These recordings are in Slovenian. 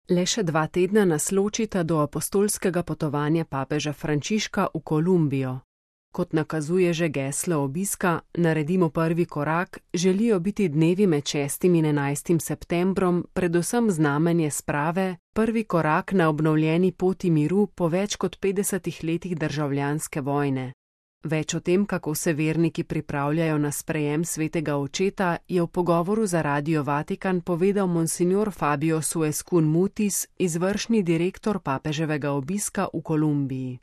Le še 2 tedna nas ločita do apostolskega potovanja papeža Frančiška v Kolumbijo. Kot nakazuje že geslo obiska, naredimo prvi korak, želijo biti dnevi med 6. in 11. septembrom predvsem znamenje sprave, prvi korak na obnovljeni poti miru po več kot 50 letih državljanske vojne. Več o tem, kako se verniki pripravljajo na sprejem svetega očeta, je v pogovoru za Radio Vatikan povedal monsignor Fabio Suescun Mutis, izvršni direktor papeževega obiska v Kolumbiji.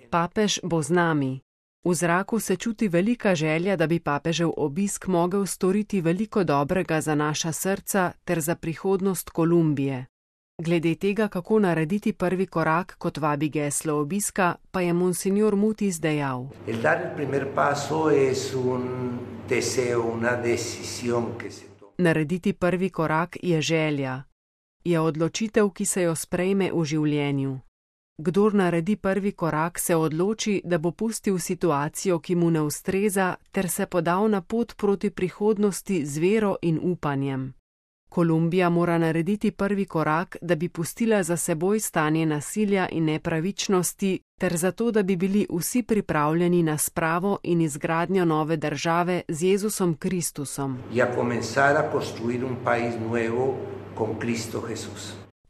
Papež bo z nami. V zraku se čuti velika želja, da bi papežev obisk mogel storiti veliko dobrega za naša srca ter za prihodnost Kolumbije. Glede tega, kako narediti prvi korak, kot vabi geslo obiska, pa je monsignor Mutis dejal. Narediti prvi korak je želja. Je odločitev, ki se jo sprejme v življenju. Kdor naredi prvi korak, se odloči, da bo pustil situacijo, ki mu ne ustreza, ter se podal na pot proti prihodnosti z vero in upanjem. Kolumbija mora narediti prvi korak, da bi pustila za seboj stanje nasilja in nepravičnosti, ter zato, da bi bili vsi pripravljeni na spravo in izgradnjo nove države z Jezusom Kristusom.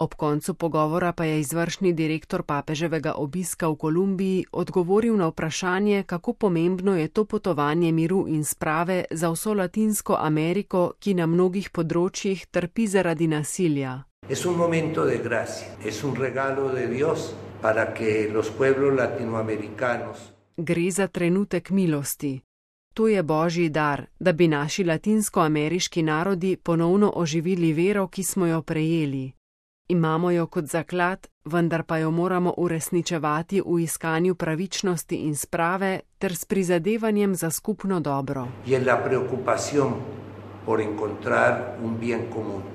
Ob koncu pogovora pa je izvršni direktor papeževega obiska v Kolumbiji odgovoril na vprašanje, kako pomembno je to potovanje miru in sprave za vso Latinsko Ameriko, ki na mnogih področjih trpi zaradi nasilja. Gre za trenutek milosti. To je božji dar, da bi naši latinskoameriški narodi ponovno oživili vero, ki smo jo prejeli. Imamo jo kot zaklad, vendar pa jo moramo uresničevati v iskanju pravičnosti in sprave ter s prizadevanjem za skupno dobro.